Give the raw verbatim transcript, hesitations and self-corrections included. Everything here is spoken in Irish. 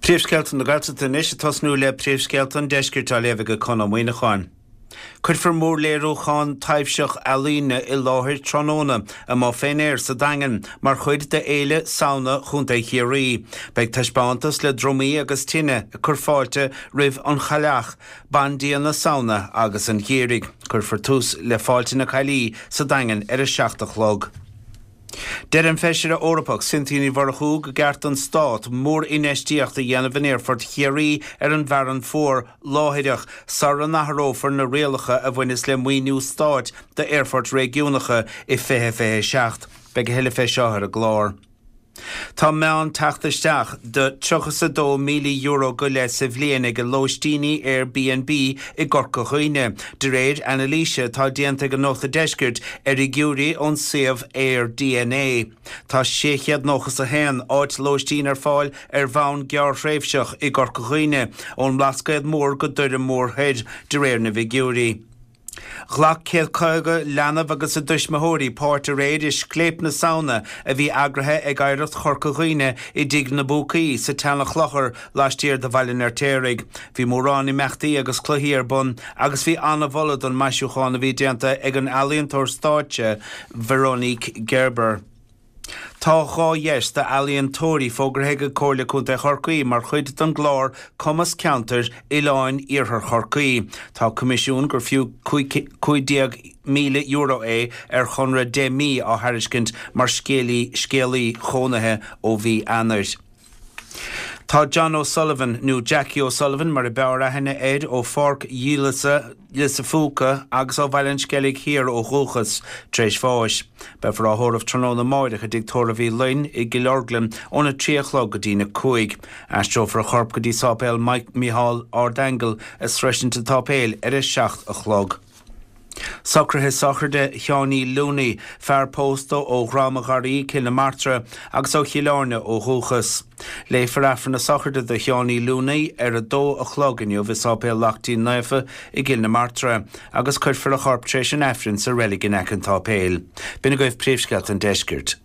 Príomhscéalta na Gaeltachta anois ag tosnú le príomhscéalta an deiscirt á léamh ag Conn Ó Muíneacháin. Cuirfear mórléiriúchán taibhseach ealaíne i láthair tráthnóna amuigh fén aer sa Daingean mar chuid de Fhéile Samhna Chontae Chiarraí. Beidh taispeántas le drumaí agus tine ag cur fáilte roimh an Chailleach, Bandia na Samhna agus an Gheimhridh. Cuirfear tús le Fáilte na Caillí sa Daingean ar a seacht a chlog. Deir an Feisire Eorpach Cynthia Ní Mhurchú gur ceart don stát mórinfheistíocht a dhéanamh in Aerfort Chiarraí ar an bhFearann Fuar láithreach sara n-athrófar na rialacha a bhaineas le maoiniú stáit d'aerfoirt réigiúnacha i fiche fiche seacht. Beidh a thuilleadh fé seo ar an gclár. Tá meán teacht isteach de tríocha is a dó míle euro go leith sa bhliain ag lóistíní Airbnb i gCorca Dhuibhne, de réir anailíse atá déanta ag an Nuacht an Deiscirt ar fhigiúirí ón suíomh AirDNA. Tá sé chéad nócha is a haon áit lóistín ar fáil ar bhonn gearrthréimhseach i gCorca Dhuibhne, ón mBlascaod Mór go Doire Mór Thoir, de réir na bhfigiúirí. Ghlac céad caoga leanbh agus a dtuismitheoirí páirt aréir i Scléip na Samhna a bhí eagraithe ag Oidhreacht Chorca Dhuibhne i dTigh na bPúcaí sa tSeanchlochar laistiar de Bhaile an Fheirtéaraigh. Bhí mórán imeachtaí agus cluichí ar bun agus bhí an-mholadh don maisiúchán a bhí déanta ag an ealaíontóir stáitse Veronique Gerber. Tá dhá dheis d'ealaíontóirí fógartha ag Comhairle Contae Chorcaí mar chuid den gclár Cumas Ceantair Oileáin Iarthar Chorcaí. Tá coimisiún gur fiú cúig déag míle euro é ar chonradh deich mí á thairiscint mar scéalaí scéalaí chónaithe ó mhí Eanáir. Tá John O'Sullivan, nó Jackie O'Sullivan mar a b'fhearr aithne air, ó Pháirc Dhíleasa Lios a' Phúca agus ó Bhaile an Sceilg Thiar ó dhúchas, tar éis bháis. Beifear á thórramh tráthnóna amáireach i dTigh Tórraimh Uí Fhloinn i gCill Orglan óna trí a chlog go dtína cúig. Aistreofar a chorp go dtí Sáipéal Micheál Ardaingeal i Sroisint an tSáipéil ar a seacht a chlog. Socruithe sochraide Sheáiní Looney, fear pósta ó Dhrom an Gharraí, Cill na Martra, agus ó Chill Airne ó dhúchas. Léifear Aifreann na sochraide do Sheáiní Looney ar a dó a chlog inniu i Sáipéal Lachtaín Naofa i gCill na Martra, agus cuirfear a chorp tar éis an Aifrinn sa reilig in aice an tsáipéil. B'in agaibh príomhscéalta an deiscirt.